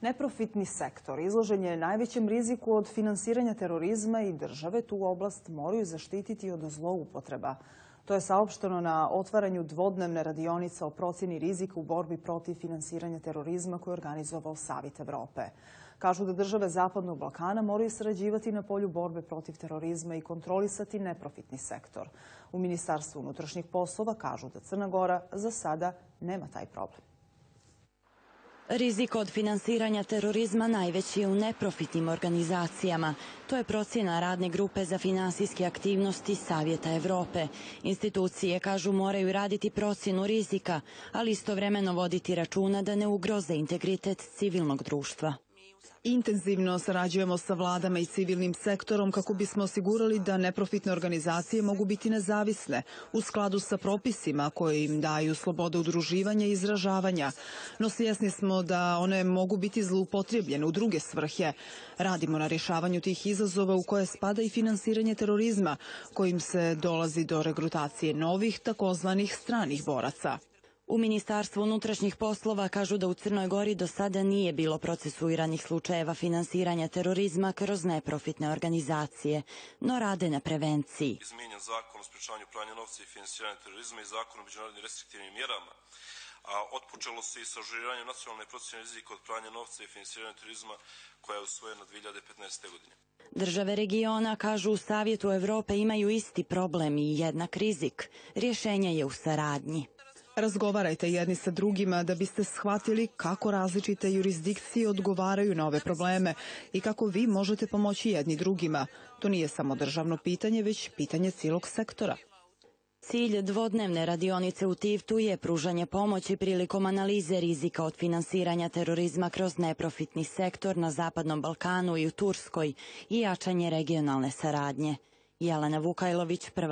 Neprofitni sektor izložen je najvećem riziku od finansiranja terorizma i države tu oblast moraju zaštititi od zloupotreba. To je saopšteno na otvaranju dvodnevne radionice o procjeni rizika u borbi protiv finansiranja terorizma koje je organizovao Savjet Evrope. Kažu da države Zapadnog Balkana moraju sarađivati na polju borbe protiv terorizma i kontrolisati neprofitni sektor. U Ministarstvu unutrašnjih poslova kažu da Crna Gora za sada nema taj problem. Rizik od finansiranja terorizma najveći je u neprofitnim organizacijama. To je procjena radne grupe za finansijske aktivnosti Savjeta Evrope. Institucije, kažu, moraju raditi procjenu rizika, ali istovremeno voditi računa da ne ugroze integritet civilnog društva. Intenzivno sarađujemo sa vladama i civilnim sektorom kako bismo osigurali da neprofitne organizacije mogu biti nezavisne u skladu sa propisima koje im daju slobodu udruživanja i izražavanja. No svjesni smo da one mogu biti zloupotrijebljene u druge svrhe. Radimo na rješavanju tih izazova u koje spada i finansiranje terorizma, kojim se dolazi do regrutacije novih takozvanih stranih boraca. U Ministarstvu unutrašnjih poslova kažu da u Crnoj Gori do sada nije bilo procesuiranih slučajeva finansiranja terorizma kroz neprofitne organizacije, no rade na prevenciji. Izmijenjen zakon o sprečavanju pranja novca i finansiranja terorizma i zakon o međunarodnim restriktivnim mjerama, a otpočelo se i sa ažuriranjem nacionalne procjene rizika od pranja novca i finansiranja terorizma koja je usvojena 2015. godine. Države regiona, kažu, u Savjetu Evrope imaju isti problem i jednak rizik. Rješenje je u saradnji. Razgovarajte jedni sa drugima da biste shvatili kako različite jurisdikcije odgovaraju na ove probleme i kako vi možete pomoći jedni drugima. To nije samo državno pitanje, već pitanje cijelog sektora. Cilj dvodnevne radionice u Tivtu je pružanje pomoći prilikom analize rizika od finansiranja terorizma kroz neprofitni sektor na Zapadnom Balkanu i u Turskoj i jačanje regionalne saradnje. Jelena Vukajlović, Prva